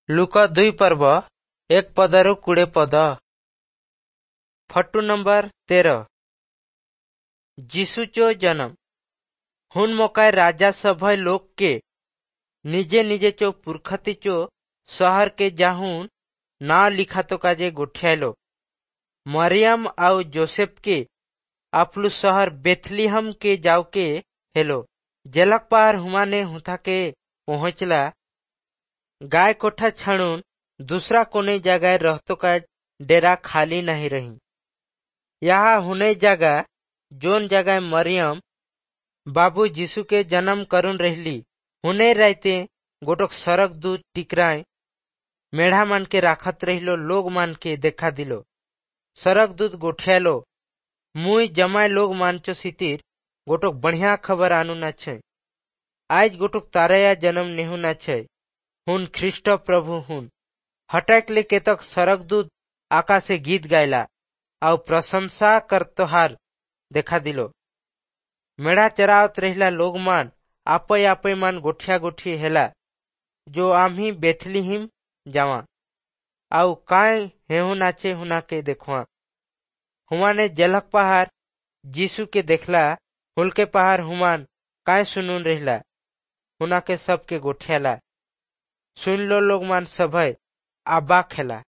ଲୂକ 2 ପର୍ବ 1 ପଦରୁ 20 ପଦ। Photo number 13। जीसु चो जन्म। हुन मोकाय राजा सभय लोग के निजे निजे चो पुरखती चो शहर के जाहुन ना लिखातो काजे गोठियालो। मरियम आउ जोसेफ के अपलु शहर बेथलीहम के जाव के हेलो। जेलक पार हुमाने हुथा के पहुंचला गाय कोठा छाणून दूसरा कोने जगह रहतो का डेरा खाली नहीं रही। यहाँ हुने जगह जोन जगह मरियम बाबू जीसु के जन्म करुन रहली हुने रहते गोटक सड़क दूत टिकराए मेढ़ा मान के राखत रहिलो लोग मान के देखा दिलो। सड़क दूत गोठियालो, मुई जमाए लोग मानचो सितिर गोटक बढ़िया खबर आनु ना छे। आज गोटक तारया जन्म नेहु ना छे, हुन ख्रिस्ट प्रभु हुन। हटाक ले केतक सड़क दूत आकाशे गीत गायला आउ प्रशंसा करतोहार देखा दिलो। मेढ़ा चरावत रहिला लोग मान आपय आपय मान गोठिया गोठी हेला जो आम्ही बेथलीहिम जावा आउ काय हेहु नाचे हुना के देखवा। हुमाने जलक पहाड़ जीसु के देखला हुलके पहाड़ हुमान काय सुनून रहिला हुना के सबके गोठियाला। सुन लो लोग मान सभय आबा खेला।